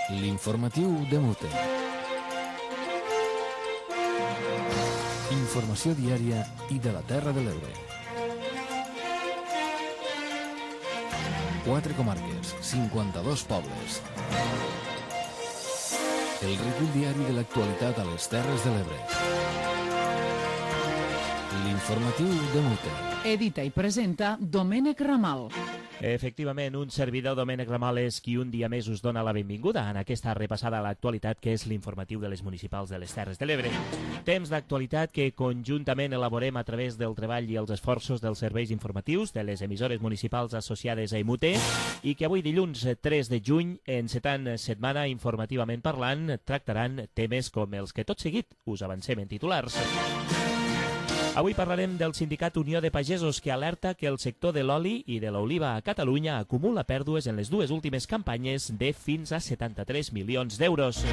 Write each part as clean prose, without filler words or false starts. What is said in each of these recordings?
L'informatiu de Mute. Informació diària i de la Terra de l'Ebre. 4 comarques, 52 pobles. El recull diari de l'actualitat a les Terres de l'Ebre. L'informatiu de Mute. Edita i presenta Domènec Ramal. Efectivament, un servidor, Domènec Ramal, és qui un dia més us dona la benvinguda en aquesta repassada a l'actualitat que és l'informatiu de les municipals de les Terres de l'Ebre. Temps d'actualitat que conjuntament elaborem a través del treball i els esforços dels serveis informatius de les emissores municipals associades a IMUTE i que avui dilluns 3 de juny, encetant setmana informativament parlant, tractaran temes com els que tot seguit us avancem en titulars. Avui parlarem del sindicat Unió de Pagesos, que alerta que el sector de l'oli i de l'oliva a Catalunya acumula pèrdues en les dues últimes campanyes de fins a 73 milions d'euros.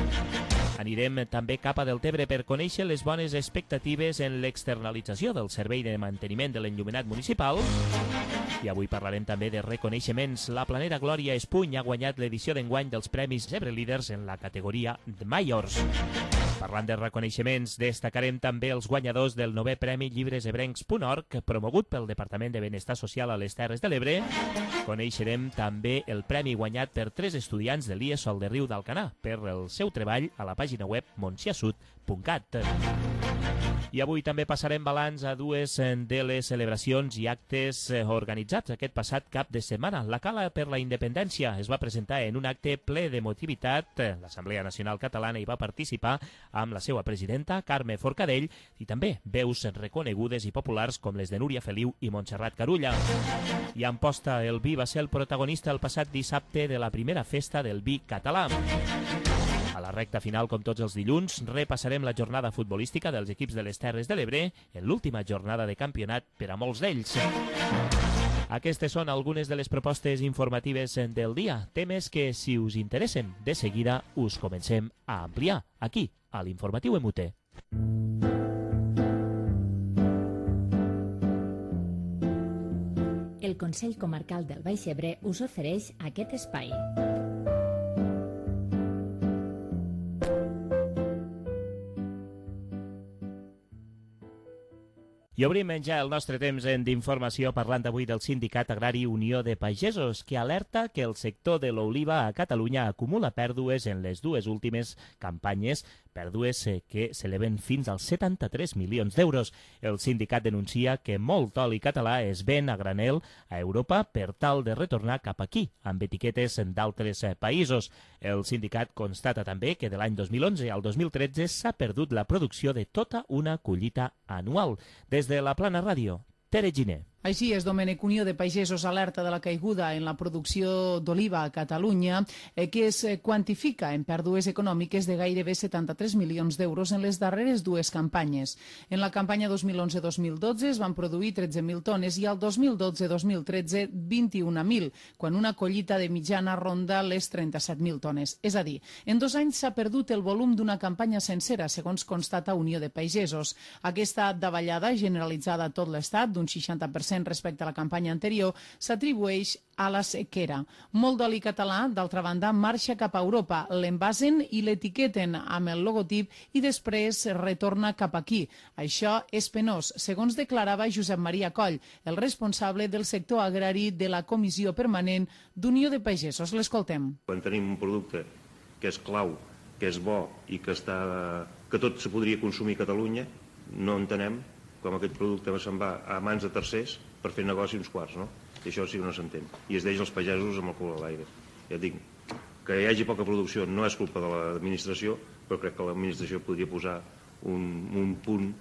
Anirem també cap a Deltebre per conèixer les bones expectatives en l'externalització del servei de manteniment de l'enllumenat municipal. I avui parlarem també de reconeixements. La planera Glòria Espuny ha guanyat l'edició d'enguany dels Premis Ebre Líders en la categoria de Majors. Parlant de reconeixements, destacarem també els guanyadors del 9è Premi llibresebrencs.org, promogut pel Departament de Benestar Social a les Terres de l'Ebre. Coneixerem també el premi guanyat per 3 estudiants de l'IE Sol de Riu d'Alcanar per el seu treball a la pàgina web montsiasud.cat. I avui també passarem balanç a dues de les celebracions i actes organitzats aquest passat cap de setmana. La Cala per la Independència es va presentar en un acte ple d'emotivitat. L'Assemblea Nacional Catalana hi va participar amb la seva presidenta, Carme Forcadell, i també veus reconegudes i populars com les de Núria Feliu i Montserrat Carulla. I Amposta el vi va ser el protagonista el passat dissabte de la primera festa del vi català. A la recta final, com tots els dilluns, repassarem la jornada futbolística dels equips de les Terres de l'Ebre en l'última jornada de campionat per a molts d'ells. Aquestes són algunes de les propostes informatives del dia, temes que, si us interessen, de seguida us comencem a ampliar aquí, a l'Informatiu MUTE. El Consell Comarcal del Baix Ebre us ofereix aquest espai. I obrim ja el nostre temps d'informació parlant avui del Sindicat Agrari Unió de Pagesos, que alerta que el sector de l'oliva a Catalunya acumula pèrdues en les dues últimes campanyes, pèrdues que s'eleven fins als 73 milions d'euros. El sindicat denuncia que molt oli català es ven a granel a Europa per tal de retornar cap aquí, amb etiquetes d'altres països. El sindicat constata també que de l'any 2011 al 2013 s'ha perdut la producció de tota una collita anual. Des de la Plana Ràdio, Tere Giner. Així és, Domènec. Unió de Pagesos alerta de la caiguda en la producció d'oliva a Catalunya, que es quantifica en pèrdues econòmiques de gairebé 73 milions d'euros en les darreres dues campanyes. En la campanya 2011-2012 es van produir 13.000 tones i al 2012-2013 21.000, quan una collita de mitjana ronda les 37.000 tones. És a dir, en 2 anys s'ha perdut el volum d'una campanya sencera, segons constata Unió de Pagesos. Aquesta davallada generalitzada a tot l'estat, d'un 60% respecte a la campanya anterior, s'atribueix a la sequera. Molt d'oli català, d'altra banda, marxa cap a Europa, l'envasen i l'etiqueten amb el logotip i després retorna cap aquí. Això és penós, segons declarava Josep Maria Coll, el responsable del sector agrari de la Comissió Permanent d'Unió de Pagesos. L'escoltem. Quan tenim un producte que és clau, que és bo i que tot se podria consumir a Catalunya, no entenem com aquest producte se'n va a mans de tercers per fer negoci uns quarts, no? I això sí que no s'entén. I es deixa els pagesos amb el cul a l'aire. Ja dic, que hi hagi poca producció no és culpa de l'administració, però crec que l'administració podria posar un punt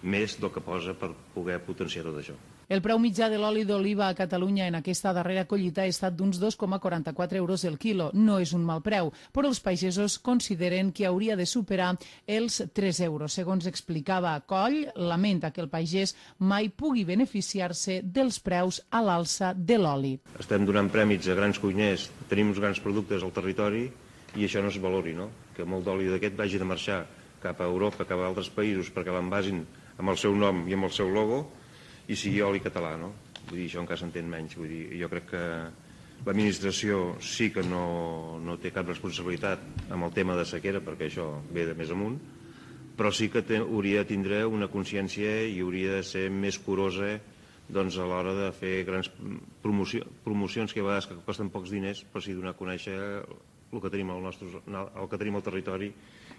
més del que posa per poder potenciar tot això. El preu mitjà de l'oli d'oliva a Catalunya en aquesta darrera collita ha estat d'uns 2,44 euros el quilo. No és un mal preu, però els pagesos consideren que hauria de superar els 3 euros. Segons explicava Coll, lamenta que el pagès mai pugui beneficiar-se dels preus a l'alça de l'oli. Estem donant prèmits a grans cuiners, tenim uns grans productes al territori i això no es valori, no? Que molt d'oli d'aquest vagi de marxar cap a Europa, cap a altres països, perquè l'envasin amb el seu nom i amb el seu logo, i sigui oli català, no? Vull dir, això encara s'entén menys. Vull dir, jo crec que L'administració sí que no té cap responsabilitat amb el tema de sequera, perquè això ve de més amunt, però sí que hauria de tindre una consciència i hauria de ser més curosa doncs, a l'hora de fer grans promocions que a vegades que costen pocs diners, però sí donar a conèixer el que tenim al territori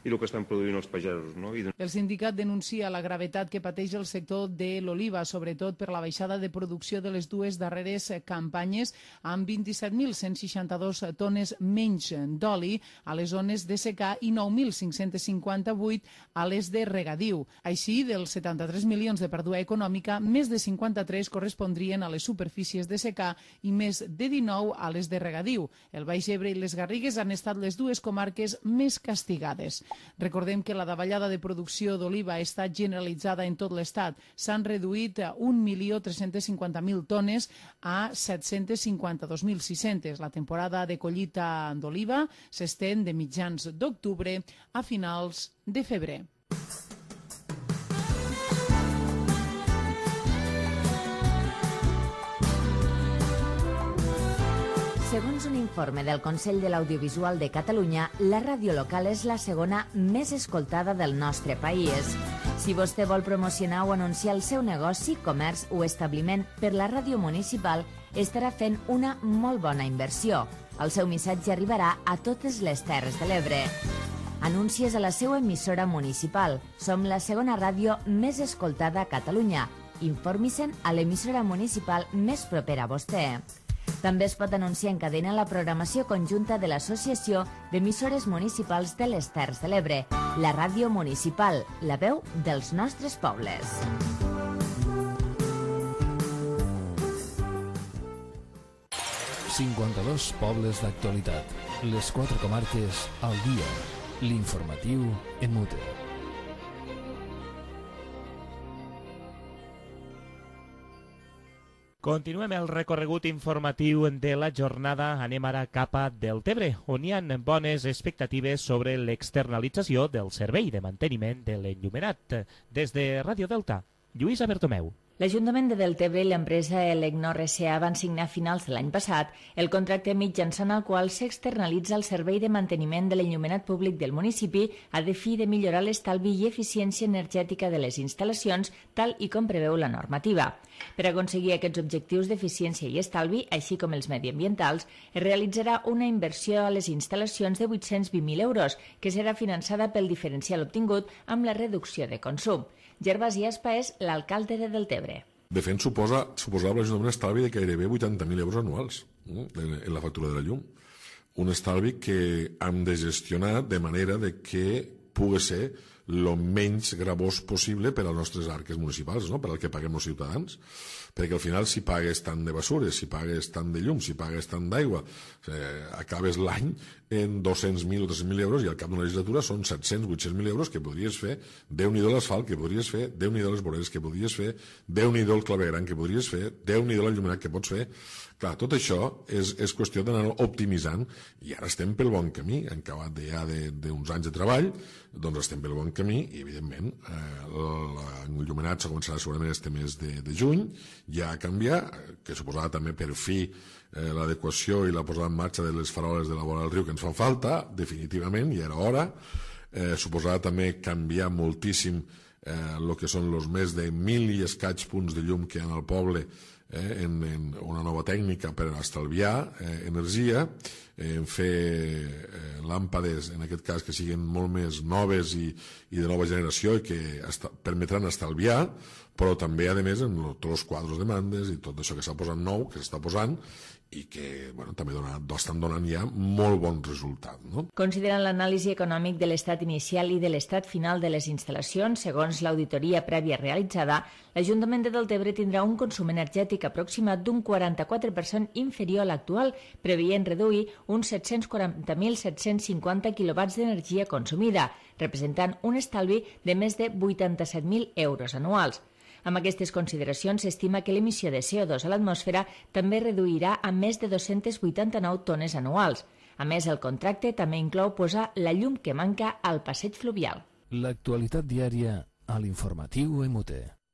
i el que estan produint els pagesos. No? El sindicat denuncia la gravetat que pateix el sector de l'oliva, sobretot per la baixada de producció de les dues darreres campanyes, amb 27.162 tones menys d'oli a les zones de secà i 9.558 a les de regadiu. Així, dels 73 milions de pèrdua econòmica, més de 53 correspondrien a les superfícies de secà i més de 19 a les de regadiu. El Baix Ebre i les Garrigues han estat les dues comarques més castigades. Recordem que la davallada de producció d'oliva ha estat generalitzada en tot l'Estat. S'han reduït 1.350.000 tones a 752.600. La temporada de collita d'oliva s'estén de mitjans d'octubre a finals de febrer. Segons un informe del Consell de l'Audiovisual de Catalunya, la ràdio local és la segona més escoltada del nostre país. Si vostè vol promocionar o anunciar el seu negoci, comerç o establiment per la ràdio municipal, estarà fent una molt bona inversió. El seu missatge arribarà a totes les Terres de l'Ebre. Anuncies a la seva emissora municipal. Som la segona ràdio més escoltada a Catalunya. Informi-se'n a l'emissora municipal més propera a vostè. També es pot anunciar en cadena la programació conjunta de l'Associació d'Emissores Municipals de les Terres de l'Ebre, la ràdio municipal, la veu dels nostres pobles. ...52 pobles d'actualitat. Les 4 comarques al dia. L'informatiu en Mute. Continuem el recorregut informatiu de la jornada. Anem ara cap a Deltebre, on hi ha bones expectatives sobre l'externalització del servei de manteniment de l'enllumenat. Des de Ràdio Delta, Lluïsa Bertomeu. L'Ajuntament de Deltebre i l'empresa Elecnor S.A. van signar a finals de l'any passat el contracte mitjançant el qual s'externalitza el servei de manteniment de l'enllumenat públic del municipi a fi de millorar l'estalvi i eficiència energètica de les instal·lacions, tal i com preveu la normativa. Per aconseguir aquests objectius d'eficiència i estalvi, així com els mediambientals, es realitzarà una inversió a les instal·lacions de 820.000 euros, que serà finançada pel diferencial obtingut amb la reducció de consum. Gervasi Aspa és l'alcalde de Deltebre. De fet, suposava l'Ajuntament un estalvi de gairebé 80.000 euros anuals en la factura de la llum. Un estalvi que hem de gestionar de manera de que pugui ser el menys gravós possible per als nostres arques municipals, no? Per al que paguem els ciutadans. Perquè al final, si pagues tant de basures, si pagues tant de llum, si pagues tant d'aigua, acabes l'any en 200.000 o 300.000 euros i al cap d'una legislatura són 700, 800.000 euros que podries fer, Déu-n'hi-do l'asfalt que podries fer, Déu-n'hi-do les voreres que podries fer, Déu-n'hi-do el clavegueram que podries fer, Déu-n'hi-do l'enllumenat que pots fer. Clar, tot això és qüestió d'anar optimitzant i ara estem pel bon camí. Hem acabat ja d'uns anys de treball, doncs estem pel bon camí i, evidentment, l'enllumenat s'ha començat segurament este mes de juny, ja a canviar, que suposava també per fi l'adequació i la posada en marxa de les faroles de la vora del riu que ens fan falta, definitivament, ja era hora. Suposava també canviar moltíssim el que són els més de 1.000 i escaig punts de llum que hi ha al poble en una nova tècnica per estalviar energia, en fer làmpades, en aquest cas, que siguin molt més noves i de nova generació i que permetran estalviar, però també, a més, en tots els quadres de demandes i tot això que s'ha posat nou, que s'està posant, i que també estan donant ja molt bon resultat. No? Considerant l'anàlisi econòmic de l'estat inicial i de l'estat final de les instal·lacions, segons l'auditoria prèvia realitzada, l'Ajuntament de Deltebre tindrà un consum energètic aproximat d'un 44% inferior a l'actual, preveient reduir uns 740.750 quilowatts d'energia consumida, representant un estalvi de més de 87.000 euros anuals. Amb aquestes consideracions, s'estima que l'emissió de CO2 a l'atmosfera també reduirà a més de 289 tones anuals. A més, el contracte també inclou posar la llum que manca al passeig fluvial. L'actualitat diària a l'informatiu MUT.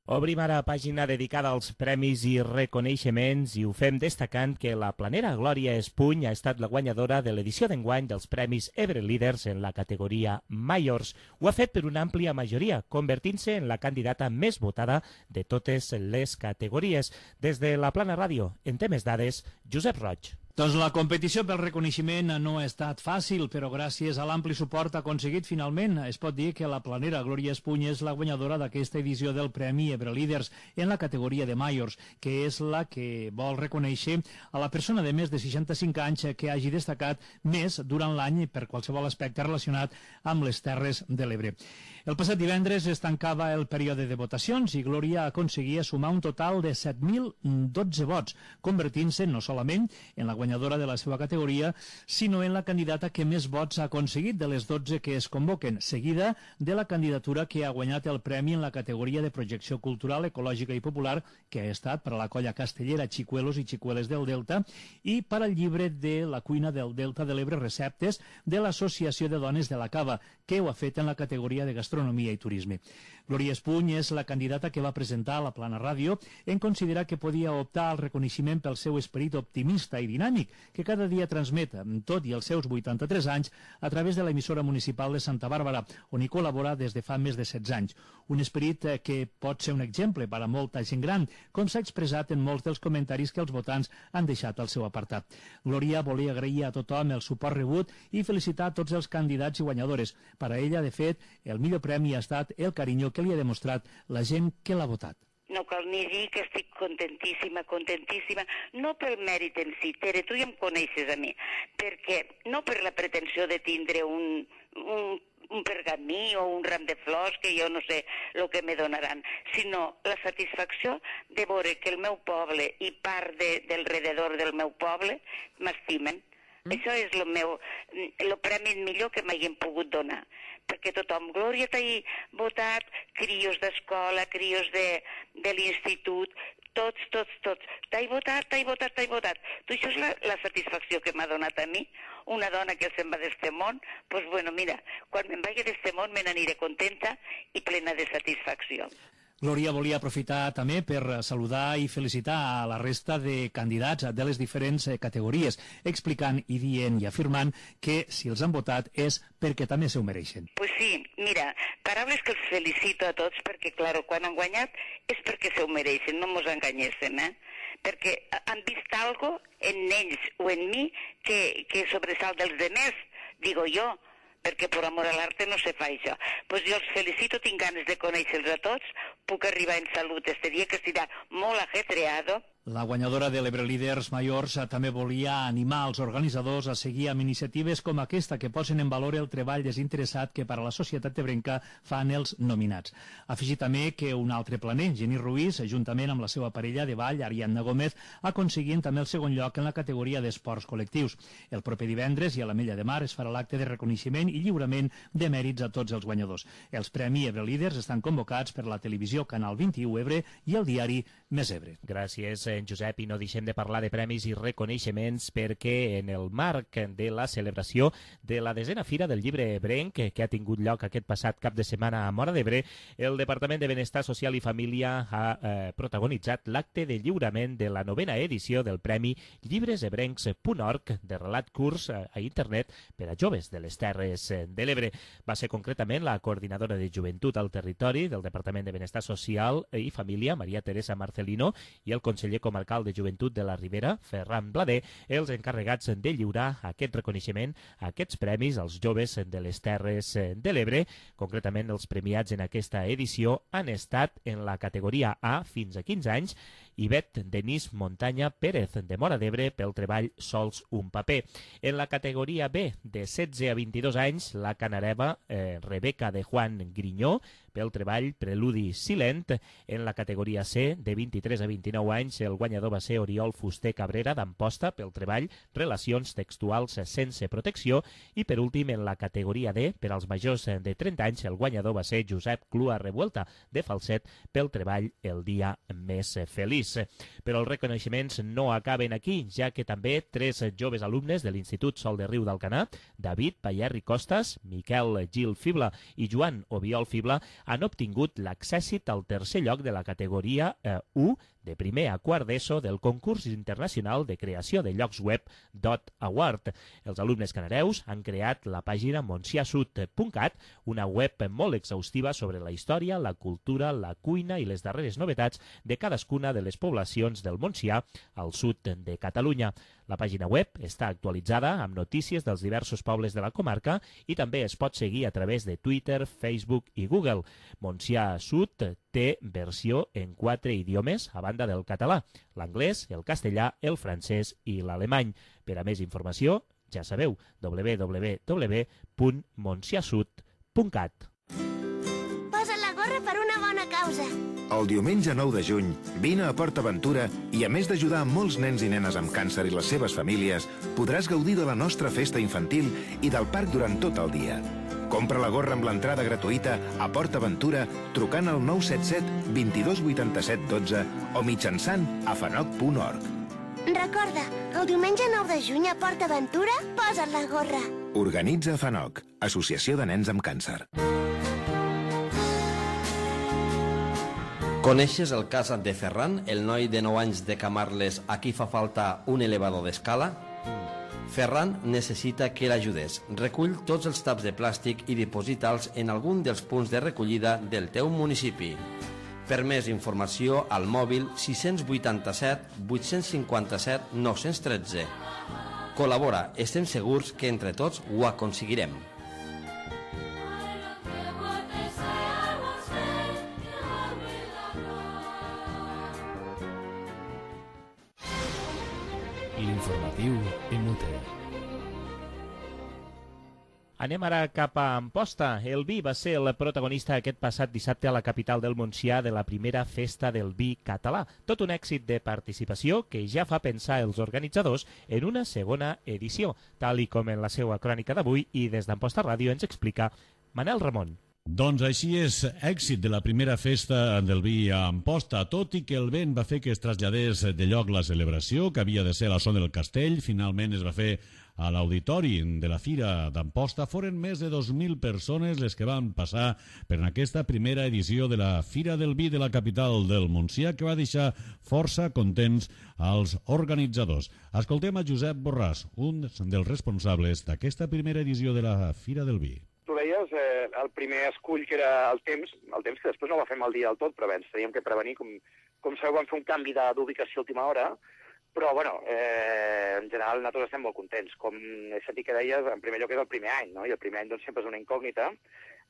Obrim ara pàgina dedicada als premis i reconeixements i ho fem destacant que la planera Glòria Espuny ha estat la guanyadora de l'edició d'enguany dels Premis Ebre Líders en la categoria Majors. Ho ha fet per una àmplia majoria, convertint-se en la candidata més votada de totes les categories. Des de la Plana Ràdio, en temes dades, Josep Roig. Doncs la competició pel reconeixement no ha estat fàcil, però gràcies a l'ampli suport aconseguit finalment es pot dir que la planera Glòria Espuny és la guanyadora d'aquesta edició del Premi Ebre Líders en la categoria de Majors, que és la que vol reconèixer a la persona de més de 65 anys que hagi destacat més durant l'any per qualsevol aspecte relacionat amb les Terres de l'Ebre. El passat divendres es tancava el període de votacions i Glòria aconseguia sumar un total de 7.012 vots, convertint-se no solament en la guanyadora de la seva categoria, sinó en la candidata que més vots ha aconseguit de les 12 que es convoquen, seguida de la candidatura que ha guanyat el premi en la categoria de projecció cultural, ecològica i popular, que ha estat per a la colla castellera Xicuelos i Xicueles del Delta i per al llibre de la cuina del Delta de l'Ebre Receptes de l'Associació de Dones de la Cava, que ho ha fet en la categoria de gastronomia i turisme. Glòria Espuny és la candidata que va presentar a la Plana Ràdio en considerar que podia optar al reconeixement pel seu esperit optimista i dinàmic que cada dia transmet, tot i els seus 83 anys, a través de l'emissora municipal de Santa Bàrbara, on hi col·labora des de fa més de 16 anys. Un esperit que pot ser un exemple per a molta gent gran, com s'ha expressat en molts dels comentaris que els votants han deixat al seu apartat. Glòria volia agrair a tothom el suport rebut i felicitar a tots els candidats i guanyadores. Per a ella, de fet, el millor premi ha estat el carinyo que li ha demostrat la gent que l'ha votat. No cal ni dir que estic contentíssima, no pel mèrit en si, Tere, tu ja em coneixes a mi, perquè no per la pretensió de tindre un pergamí o un ram de flors, que jo no sé el que me donaran, sinó la satisfacció de veure que el meu poble i part del rededor del meu poble m'estimen. Això és el premi millor que m'hagin pogut donar, perquè tothom, Glòria, t'ha votat, crios d'escola, crios de l'institut, tots, t'ha votat. Tu, això és la satisfacció que m'ha donat a mi, una dona que se'n va d'este món, doncs bueno, mira, quan me'n vagi d'este món me n'aniré contenta i plena de satisfacció. Glòria volia aprofitar també per saludar i felicitar a la resta de candidats de les diferents categories, explicant i dient i afirmant que si els han votat és perquè també s'ho mereixen. Pues sí, mira, paraules que els felicito a tots perquè, clar, quan han guanyat és perquè s'ho mereixen, no mos enganyéssim, perquè han vist algo en ells o en mi que sobresalt dels demés, digo jo, perquè per amor a l'arte no se fa això. Doncs jo els felicito, tinc ganes de conèixer-los a tots, puc arribar en salut este dia, que serà molt ajetreado. La guanyadora de l'Ebre Líders Majors també volia animar els organitzadors a seguir amb iniciatives com aquesta que posen en valor el treball desinteressat que per a la societat ebrenca fan els nominats. Afegir també que un altre planer, Geni Ruiz, juntament amb la seva parella de ball, Ariadna Gómez, aconseguint també el segon lloc en la categoria d'esports col·lectius. El proper divendres i a l'Ametlla de Mar es farà l'acte de reconeixement i lliurament de mèrits a tots els guanyadors. Els Premis Ebre Líders estan convocats per la televisió Canal 21 Ebre i el diari Més Ebre. Gràcies, Josep, i no deixem de parlar de premis i reconeixements perquè en el marc de la celebració de la 10a Fira del Llibre Ebrenc, que ha tingut lloc aquest passat cap de setmana a Móra d'Ebre, el Departament de Benestar Social i Família ha protagonitzat l'acte de lliurament de la 9a edició del Premi llibresebrencs.org de relat curs a internet per a joves de les Terres de l'Ebre. Va ser concretament la coordinadora de Joventut al Territori del Departament de Benestar Social i Família, Maria Teresa Marcelino, i el conseller comarcal de Joventut de la Ribera, Ferran Blader, els encarregats de lliurar aquest reconeixement, aquests premis als joves de les Terres de l'Ebre. Concretament, els premiats en aquesta edició han estat en la categoria A fins a 15 anys Ivet Denis Montanya Pérez, de Móra d'Ebre, pel treball Sols un paper. En la categoria B, de 16 a 22 anys, la canareva Rebeca de Juan Grinyó, pel treball Preludi Silent. En la categoria C, de 23 a 29 anys, el guanyador va ser Oriol Fuster Cabrera d'Amposta, pel treball Relacions textuals sense protecció. I per últim, en la categoria D, per als majors de 30 anys, el guanyador va ser Josep Clua Revuelta, de Falset, pel treball El dia més feliç. més. Però els reconeixements no acaben aquí, ja que també 3 joves alumnes de l'Institut Sol de Riu d'Alcanar, David Payerri Costas, Miquel Gil Fibla i Joan Obiol Fibla, han obtingut l'accèssit al tercer lloc de la categoria 1 de primer a quart d'ESO del concurs internacional de creació de llocs web .award. Els alumnes canareus han creat la pàgina monsiasud.cat, una web molt exhaustiva sobre la història, la cultura, la cuina i les darreres novetats de cadascuna de les poblacions del Montsià al sud de Catalunya. La pàgina web està actualitzada amb notícies dels diversos pobles de la comarca i també es pot seguir a través de Twitter, Facebook i Google. Montsià Sud té versió en 4 idiomes a banda del català, l'anglès, el castellà, el francès i l'alemany. Per a més informació, ja sabeu, www.monsiasud.cat. Posa la gorra per una bona causa. El diumenge 9 de juny, vine a PortAventura i, a més d'ajudar molts nens i nenes amb càncer i les seves famílies, podràs gaudir de la nostra festa infantil i del parc durant tot el dia. Compra la gorra amb l'entrada gratuïta a PortAventura trucant al 977 22 87 12 o mitjançant afanoc.org. Recorda, el diumenge 9 de juny a PortAventura, posa't la gorra. Organitza Afanoc, Associació de Nens amb Càncer. Coneixes el cas de Ferran, el noi de 9 anys de Camarles a qui fa falta un elevador d'escala? Ferran necessita que l'ajudes. Recull tots els taps de plàstic i diposita'ls en algun dels punts de recollida del teu municipi. Per més informació, al mòbil 687 857 913. Col·labora, estem segurs que entre tots ho aconseguirem. L'informatiu Emute. Anem ara cap a Amposta. El vi va ser el protagonista aquest passat dissabte a la capital del Montsià de la primera festa del vi català. Tot un èxit de participació que ja fa pensar els organitzadors en una segona edició, tal i com en la seva crònica d'avui, i des d'Amposta Ràdio ens explica Manel Ramon. Doncs així és, èxit de la primera festa del vi a Amposta, tot i que el vent va fer que es traslladés de lloc la celebració, que havia de ser a la zona del Castell, finalment es va fer a l'auditori de la Fira d'Amposta. Foren més de 2.000 persones les que van passar per aquesta primera edició de la Fira del Vi de la capital del Montsià, que va deixar força contents als organitzadors. Escoltem a Josep Borràs, un dels responsables d'aquesta primera edició de la Fira del Vi. Tu deies, el primer escull que era el temps que després no va fer mal dia del tot, però bé, ens teníem que prevenir, com sabeu vam fer un canvi d'ubicació a última hora, però bueno, en general nosaltres estem molt contents. Com he sentit que deies, en primer lloc és el primer any, no? I el primer any doncs, sempre és una incògnita,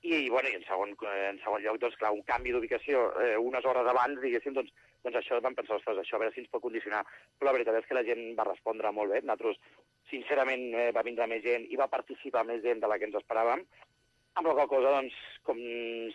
i bueno, i en segon lloc, doncs clar, un canvi d'ubicació unes hores abans, diguéssim, doncs això vam pensar, ostres, això a veure si ens pot condicionar, però la veritat és que la gent va respondre molt bé. Nosaltres, sincerament, va vindre més gent i va participar més gent de la que ens esperàvem, amb la qual cosa, doncs, com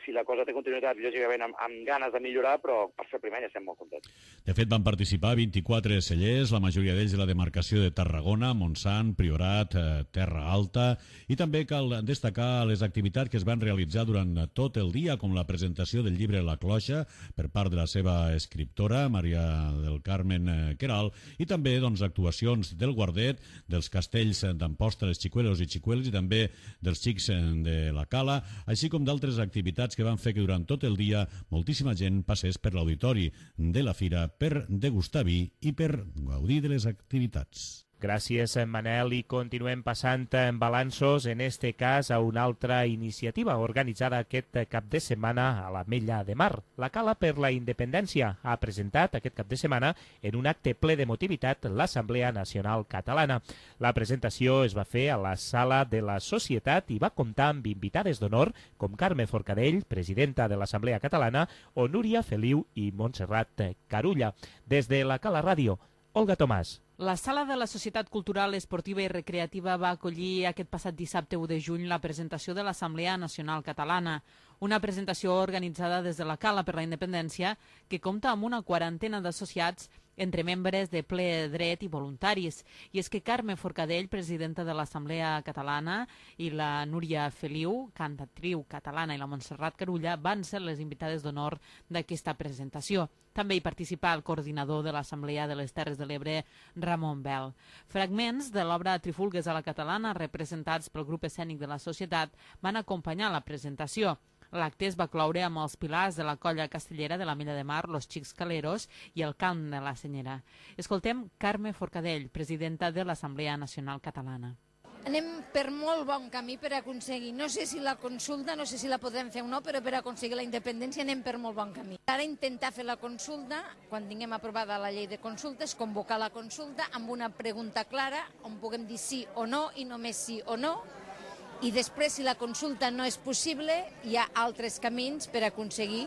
si la cosa té continuïtat, lògicament amb ganes de millorar, però per fer el primer any estem molt contents. De fet, van participar 24 cellers, la majoria d'ells de la demarcació de Tarragona, Montsant, Priorat, Terra Alta, i també cal destacar les activitats que es van realitzar durant tot el dia, com la presentació del llibre La Cloixa per part de la seva escriptora, Maria del Carmen Queralt, i també doncs, actuacions del Guardet, dels castells d'Amposta, les xicuelos i xicuels, i també dels xics de la Cala, així com d'altres activitats que van fer que durant tot el dia moltíssima gent passés per l'auditori de la fira per degustar vi i per gaudir de les activitats. Gràcies, Manel, i continuem passant en balanços, en este cas a una altra iniciativa organitzada aquest cap de setmana a l'Ametlla de Mar. La Cala per la Independència ha presentat aquest cap de setmana en un acte ple d'emotivitat l'Assemblea Nacional Catalana. La presentació es va fer a la Sala de la Societat i va comptar amb invitades d'honor com Carme Forcadell, presidenta de l'Assemblea Catalana, o Núria Feliu i Montserrat Carulla. Des de la Cala Ràdio, Olga Tomàs. La Sala de la Societat Cultural, Esportiva i Recreativa va acollir aquest passat dissabte 1 de juny la presentació de l'Assemblea Nacional Catalana, una presentació organitzada des de la Cala per la Independència que compta amb una quarantena d'associats entre membres de ple dret i voluntaris. I és que Carme Forcadell, presidenta de l'Assemblea Catalana, i la Núria Feliu, cantatriu catalana, i la Montserrat Carulla van ser les invitades d'honor d'aquesta presentació. També hi participà el coordinador de l'Assemblea de les Terres de l'Ebre, Ramon Bel. Fragments de l'obra Trifulgues a la catalana, representats pel grup escènic de la Societat, van acompanyar la presentació. L'acte es va cloure amb els pilars de la colla castellera de la Milla de Mar, Los Xics Caleros i el cant de la Senyera. Escoltem Carme Forcadell, presidenta de l'Assemblea Nacional Catalana. Anem per molt bon camí per aconseguir, no sé si la consulta, no sé si la podrem fer o no, però per aconseguir la independència anem per molt bon camí. Ara intentar fer la consulta, quan tinguem aprovada la llei de consultes, convocar la consulta amb una pregunta clara on puguem dir sí o no i només sí o no, i després, si la consulta no és possible, hi ha altres camins per aconseguir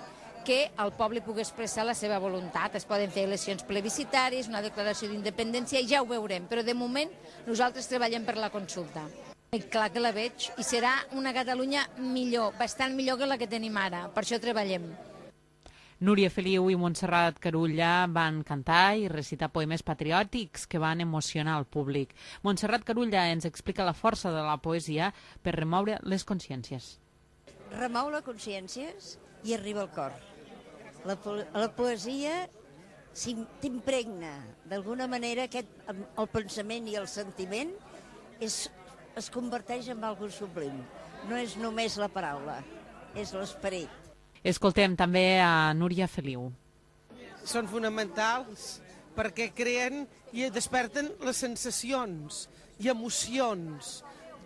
que el poble pugui expressar la seva voluntat. Es poden fer eleccions plebiscitàries, una declaració d'independència, ja ho veurem, però de moment nosaltres treballem per la consulta. I clar que la veig, i serà una Catalunya millor, bastant millor que la que tenim ara, per això treballem. Núria Feliu i Montserrat Carulla van cantar i recitar poemes patriòtics que van emocionar el públic. Montserrat Carulla ens explica la força de la poesia per remoure les consciències. Remou les consciències i arriba al cor. La poesia t'impregna. D'alguna manera el pensament i el sentiment es converteix en algo sublim. No és només la paraula, és l'esperit. Escoltem també a Núria Feliu. Són fonamentals perquè creen i desperten les sensacions i emocions.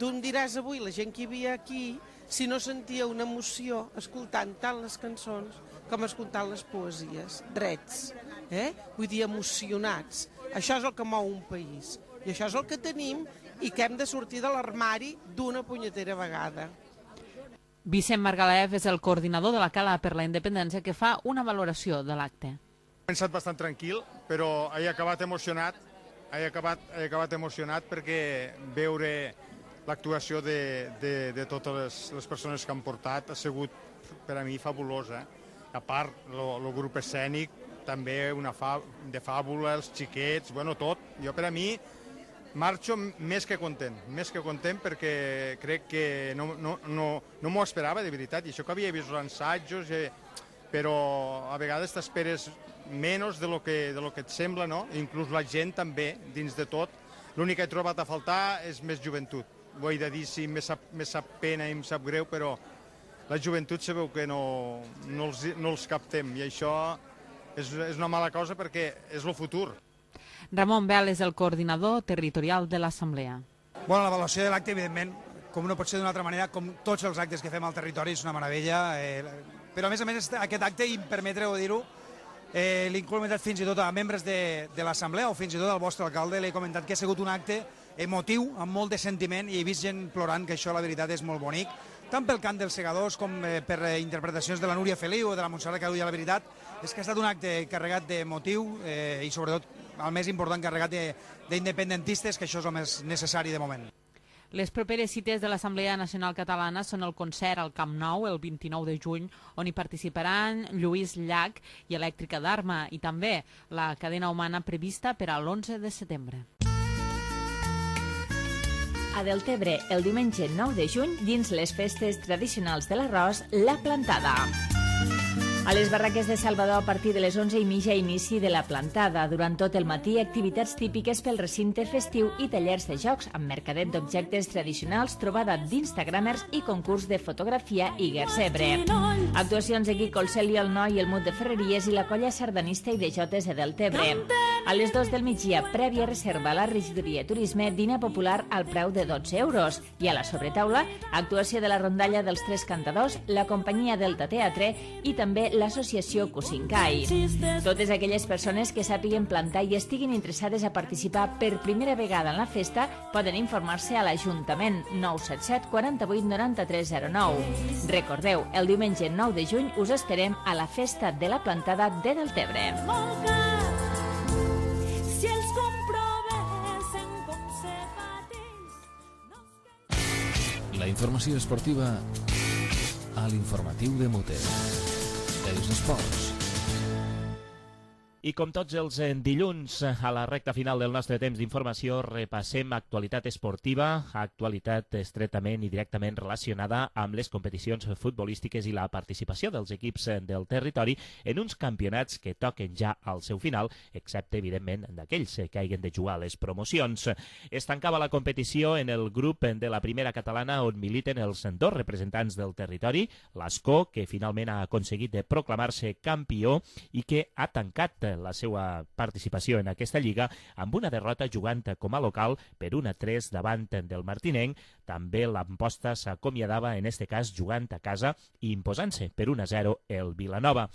Tu em diràs avui, la gent que hi havia aquí, si no sentia una emoció escoltant tant les cançons com escoltant les poesies, drets, vull dir, emocionats. Això és el que mou un país i això és el que tenim i que hem de sortir de l'armari d'una punyetera vegada. Vicent Margalef és el coordinador de la Cala per la Independència que fa una valoració de l'acte. He pensat bastant tranquil, però he acabat emocionat. He acabat emocionat perquè veure l'actuació de totes les persones que han portat ha sigut per a mi fabulosa. A part, el grup escènic, també de fàbula, els xiquets, bueno, tot. Jo per a mi marxo més que content perquè crec que no m'ho esperava de veritat, i això que havia vist els assajos, però a vegades t'esperes menys de lo que et sembla, no? Inclús la gent també, dins de tot. L'únic que he trobat a faltar és més joventut. Ho he de dir, sí, me sap pena i em sap greu, però la joventut sabeu que no els captem, i això és una mala cosa perquè és el futur. Ramon Bel és el coordinador territorial de l'Assemblea. Bueno, l'avaluació de l'acte, evidentment, com no pot ser d'una altra manera, com tots els actes que fem al territori, és una meravella. Però, a més, aquest acte, i permetreu dir-ho, l'he comentat fins i tot a membres de l'Assemblea o fins i tot al vostre alcalde, l'he comentat que ha sigut un acte emotiu, amb molt de sentiment, i he vist gent plorant, que això, la veritat, és molt bonic, tant pel cant dels segadors com per interpretacions de la Núria Feliu o de la Montserrat Carulla. La veritat és que ha estat un acte carregat de motiu i, sobretot, el més important, carregat d'independentistes, que això és el més necessari de moment. Les properes cites de l'Assemblea Nacional Catalana són el concert al Camp Nou el 29 de juny, on hi participaran Lluís Llach i Elèctrica d'Arma, i també la cadena humana prevista per a l'11 de setembre. A Deltebre, el diumenge 9 de juny, dins les festes tradicionals de l'arròs, la plantada. A les barraques de Salvador, a partir de les 11:30, inici de la plantada. Durant tot el matí, activitats típiques pel recinte festiu i tallers de jocs, amb mercadet d'objectes tradicionals, trobada d'instagramers i concurs de fotografia i gersebre. Actuacions de Quico el Celio, el Noi, el Mut de Ferreries i la colla sardanista i de jotes de Deltebre. A les 2 del migdia, prèvia reserva a la regidoria Turisme, dinar popular al preu de 12 euros. I a la sobretaula, actuació de la rondalla dels Tres Cantadors, la companyia Delta Teatre i també l'associació Cusincai. Totes aquelles persones que sàpiguen plantar i estiguin interessades a participar per primera vegada en la festa poden informar-se a l'Ajuntament 977 48 93 09. Recordeu, el diumenge 9 de juny us esperem a la Festa de la Plantada de Deltebre. La informació esportiva a l'informatiu de Mote. Els esports. I com tots els dilluns, a la recta final del nostre temps d'informació, repassem actualitat esportiva, actualitat estretament i directament relacionada amb les competicions futbolístiques i la participació dels equips del territori en uns campionats que toquen ja al seu final, excepte, evidentment, d'aquells que hagin de jugar a les promocions. Es tancava la competició en el grup de la primera catalana on militen els dos representants del territori, l'Ascó, que finalment ha aconseguit de proclamar-se campió i que ha tancat la seva participació en aquesta lliga amb una derrota jugant com a local per 1-3 davant del Martinenc. També l'Amposta s'acomiadava, en este cas, jugant a casa i imposant-se per 1-0 el Vilanova.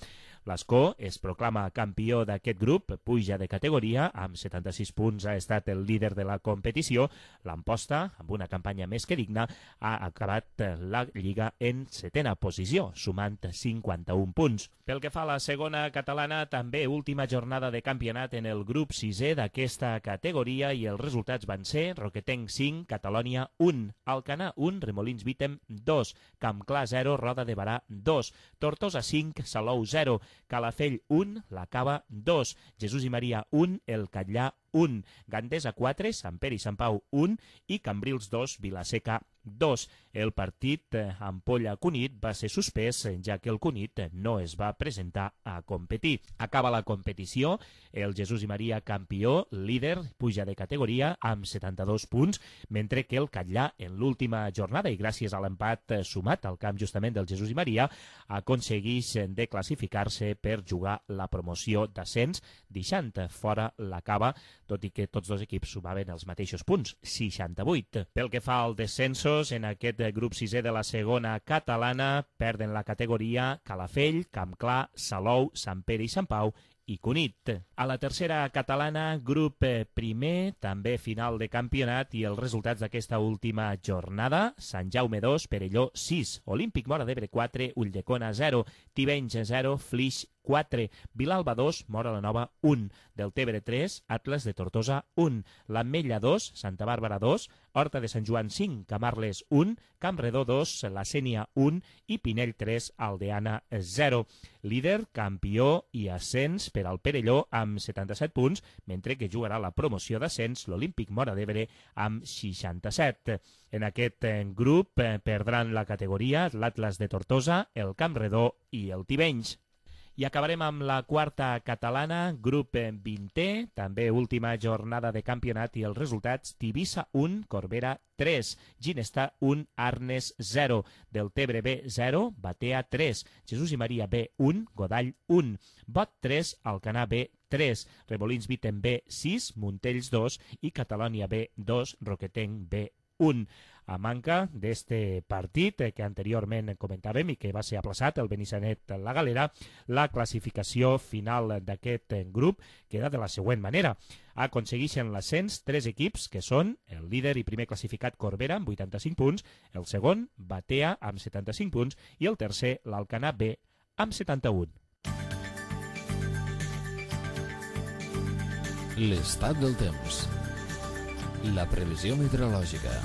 L'Ascó es proclama campió d'aquest grup, puja de categoria, amb 76 punts ha estat el líder de la competició. L'Amposta, amb una campanya més que digna, ha acabat la lliga en 7a posició, sumant 51 punts. Pel que fa a la segona catalana, també última jornada de campionat en el grup 6è d'aquesta categoria i els resultats van ser Roquetenc 5, Catalònia 1, Alcanar 1, Remolins Vítem 2, Campclar 0, Roda de Barà 2, Tortosa 5, Salou 0, Calafell 1, La Cava 2, Jesús i Maria 1, El Catllà 1, Gandesa 4, Sant Pere i Sant Pau 1 i Cambrils 2, Vilaseca 2. El partit Ampolla-Cunit va ser suspès, ja que el Cunit no es va presentar a competir. Acaba la competició, el Jesús i Maria campió, líder, puja de categoria amb 72 punts, mentre que el Catllà en l'última jornada, i gràcies a l'empat sumat al camp justament del Jesús i Maria, aconsegueix de classificar-se per jugar la promoció d'ascens, deixant fora la Cava, tot i que tots dos equips sumaven els mateixos punts, 68. Pel que fa al descensos, en aquest grup 6è de la segona catalana perden la categoria Calafell, Campclar, Salou, Sant Pere i Sant Pau i Cunit. A la tercera catalana, grup primer, també final de campionat i els resultats d'aquesta última jornada: Sant Jaume 2, Perelló 6, Olímpic Móra d'Ebre 4, Ulldecona 0, Tivenys 0, Flix 4, Vilalba 2, Móra la Nova 1, Deltebre 3, Atles de Tortosa 1, l'Ametlla 2, Santa Bàrbara 2, Horta de Sant Joan 5, Camarles 1, Campredó 2, La Sénia 1 i Pinell 3, Aldeana 0. Líder, campió i ascens per al Perelló amb 77 punts, mentre que jugarà la promoció d'ascens l'Olímpic Móra d'Ebre amb 67. En aquest grup perdran la categoria l'Atlas de Tortosa, el Campredó i el Tivenys. I acabarem amb la quarta catalana, grup 20è, també última jornada de campionat i els resultats: Tivissa 1, Corbera 3, Ginestar 1, Arnes 0, Deltebre B 0, Batea 3, Jesús i Maria B 1, Godall 1, Bot 3, Alcanar B 3, Remolins Vítem B 6, Montells 2 i Catalònia B 2, Roquetenc B 1. A manca d'este partit que anteriorment comentàvem i que va ser aplaçat el Benissanet-La Galera, la classificació final d'aquest grup queda de la següent manera. Aconsegueixen l'ascens 3 equips, que són el líder i primer classificat Corbera amb 85 punts, el segon Batea amb 75 punts i el tercer l'Alcanar B amb 71. L'estat del temps. La previsió meteorològica.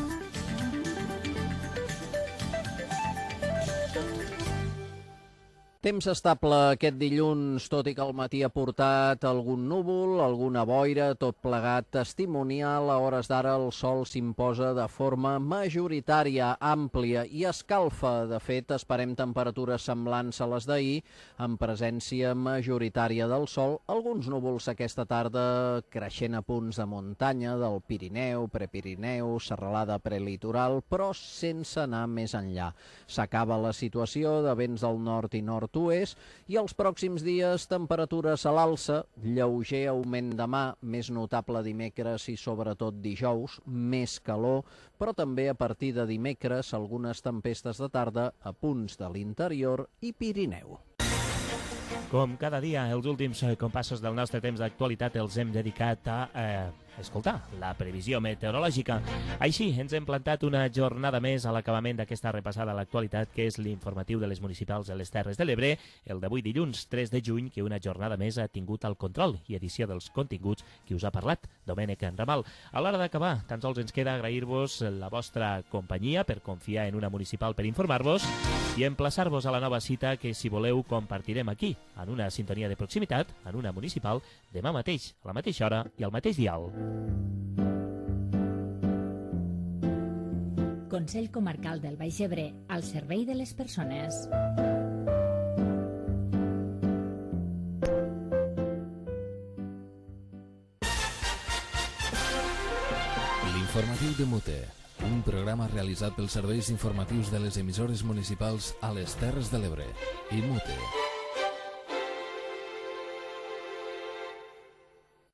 Temps estable aquest dilluns, tot i que al matí ha portat algun núvol, alguna boira, tot plegat testimonial. A hores d'ara el sol s'imposa de forma majoritària, àmplia i escalfa. De fet, esperem temperatures semblants a les d'ahir, amb presència majoritària del sol. Alguns núvols aquesta tarda creixent a punts de muntanya, del Pirineu, Prepirineu, serralada prelitoral, però sense anar més enllà. S'acaba la situació de vents del nord i nord i els pròxims dies temperatures a l'alça, lleuger augment demà, més notable dimecres i sobretot dijous, més calor, però també a partir de dimecres algunes tempestes de tarda a punts de l'interior i Pirineu. Com cada dia, els últims compassos del nostre temps d'actualitat els hem dedicat a escoltar la previsió meteorològica. Així, ens hem plantat una jornada més a l'acabament d'aquesta repassada a l'actualitat, que és l'informatiu de les municipals de les Terres de l'Ebre, el d'avui dilluns 3 de juny, que una jornada més ha tingut el control i edició dels continguts que us ha parlat Domènec Ramal. A l'hora d'acabar, tan sols ens queda agrair-vos la vostra companyia per confiar en una municipal per informar-vos i emplaçar-vos a la nova cita que, si voleu, compartirem aquí, en una sintonia de proximitat, en una municipal, demà mateix, a la mateixa hora i al mateix dial. Consell Comarcal del Baix Ebre, al servei de les persones. L'informatiu de Mute, un programa realitzat pels serveis informatius de les emissores municipals a les Terres de l'Ebre i Mute.